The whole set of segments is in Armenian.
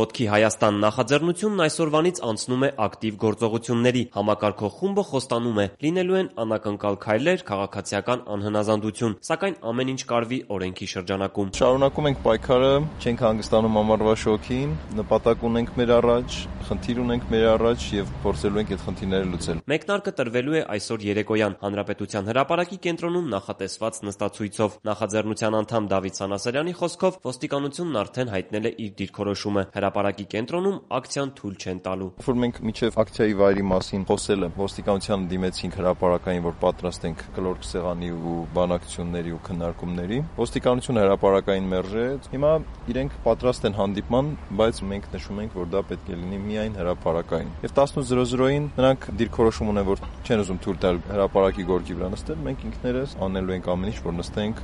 Ոտքի Հայաստան նախաձեռնությունն այսօրվանից անցնում է ակտիվ գործողությունների։ Համակարգող խումբը խոստանում է՝ լինելու են անակնկալ քայլեր, քաղաքացիական անհնազանդություն, սակայն ամեն ինչ կարվի օրենքի շրջանակում։ Շարունակում ենք պայքարը, չենք հանգստանում ամառվա շոգին, նպատակ ունենք մեր առաջ, խնդիր ունենք մեր առաջ եւ փորձելու ենք այդ խնդիրները լուծել։ Մեկնարկը տրվելու է այսօր երեկոյան Հանրապետության հրապարակի կենտրոնում նախատեսված նստացույցով։ Նախաձեռնության անդամ Դավիթ Սանասարյանի խոսքով ոստիկանությունն արդեն հայտնել է իր դիրքորոշումը։ Հրապարակի կենտրոնում ակցիան թույլ չեն տալու։ Որ մենք մինչև ակցիայի վայրի մասին խոսել եմ, ոստիկանությանը դիմեցինք հրապարակային, որ պատրաստ ենք կլոր սեղանի ու բանակցությունների ու քննարկումների։ Ոստիկանությունը հրապարակային մերժեց։ Հիմա իրենք պատրաստ են հանդիպման, բայց մենք նշում ենք, որ դա պետք է լինի միայն հրապարակային։ Եվ 18:00-ին նրանք դիրքորոշում ունեն, որ չեն ուզում թույլ տալ հրապարակի գորգի վրա նստել, մենք ինքներս անելու ենք ամեն ինչ, որ նստենք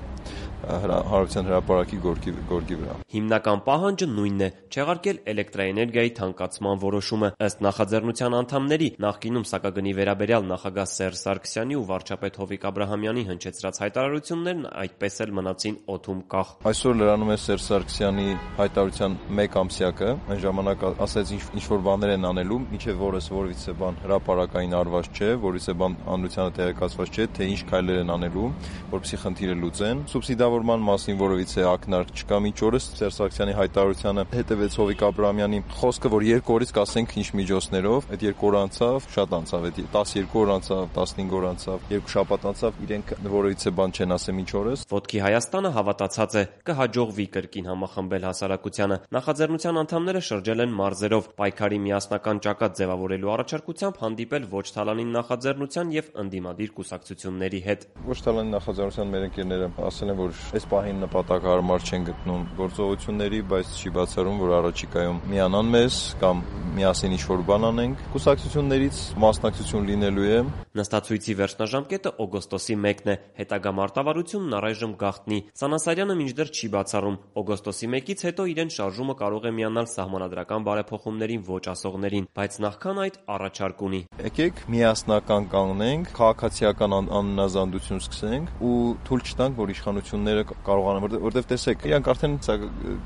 Հանրապետության հրապարակի գորգի վրա։ Հիմնական պահանջը նույնն է՝ չեղարկել էլեկտրաէներգիայի թանկացման որոշումը։ Ըստ նախաձեռնության անդամների, նախկինում սակագնի վերաբերյալ նախագահ Սերժ Սարգսյանի ու վարչապետ Հովիկ Աբրահամյանի հնչեցրած հայտարարություններն այդպես էլ մնացին օդում կախ։ Այսօր լրանում է Սերժ Սարգսյանի հայտարարության 1 ամսյակը, այն ժամանակ ասաց ինչ-որ բաներ են անելու, մինչև որս որևիցե բան հրապարակային արված չէ, որևիցե բան հանրությանը տեղեկացված չէ, թե ինչ քայլեր են անելու, որպեսզի խնդիրը լուծեն։ Սուբսիդավորման մասին որևիցե ակնարկ չկա մինչ օրս։ Սերժ Սարգսյանի հայտարարությանը հետևեց Հովիկ Աբրահամյանի խոսքը, որ 2 օրից կասենք ինչ միջոցներով, այդ 2 օր անցավ, շատ անցավ, այդ 12 օր անցավ, 15 օր անցավ, 2 շաբաթ անցավ, իրենք որևիցե բան չեն ասել մինչ օրս։ Ոտքի Հայաստանը հավատացած է, կհաջողվի կրկին համախմբել հասարակությանը։ Նախաձեռնության անդամները շրջել են մարզերով, պայքարի միասնական ճակատ ձևավորելու առաջարկությամբ հանդիպել ոչ թալանին նախաձեռնության եւ ընդդիմադիր կուսակցությունների հետ։ Ոչ թալանի նախաձեռնության մեր ընկերները ասել են, որ այս պահին նպատակահարմար չեն գտնում գործողությունների, բայց չի բացառում, որ առաջիկայում միանան մեզ կամ միասին ինչ-որ բան անենք։ Կուսակցություններից մասնակցություն լինելու է։ Նստացույցի վերջնաժամկետը օգոստոսի 1-ն է, հետագա մարտավարությունն առայժմ գաղտնի։ Սանասարյանը մինչդեռ չի բացառում, օգոստոսի 1-ից հետո իրեն շարժումը կարող է միանալ սահմանադրական բարեփոխումներին ոչ ասողներին, բայց նախքան այդ առաջարկ ունի։ Եկեք միասնական կանգնենք, քաղաքացիական անհնազանդություն սկսենք ու թույլ չտանք, որ իշխանությունները կարողանան, որտեղ տեսեք, իրանք արդեն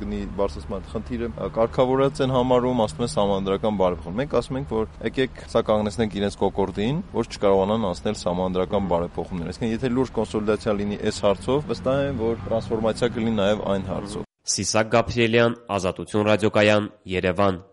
գնի բարձրացման խնդիրը կարգավորած են համարում, ասում են սահմանադրական բարեփոխում։ Մենք ասում ենք, որ եկեք սա կանգնեցնենք իրենց կոկորդին, որ չկարողանան անցնել սահմանադրական բարեփոխումներ։ Այսինքն, եթե լուրջ կոնսոլիդացիա լինի այս հարցով, վստահ եմ, որ տրանսֆորմացիա կլինի նաև այն հարցով։ Սիսակ Գաբրիելյան, Ազատություն ռադիոկայան, Երևան։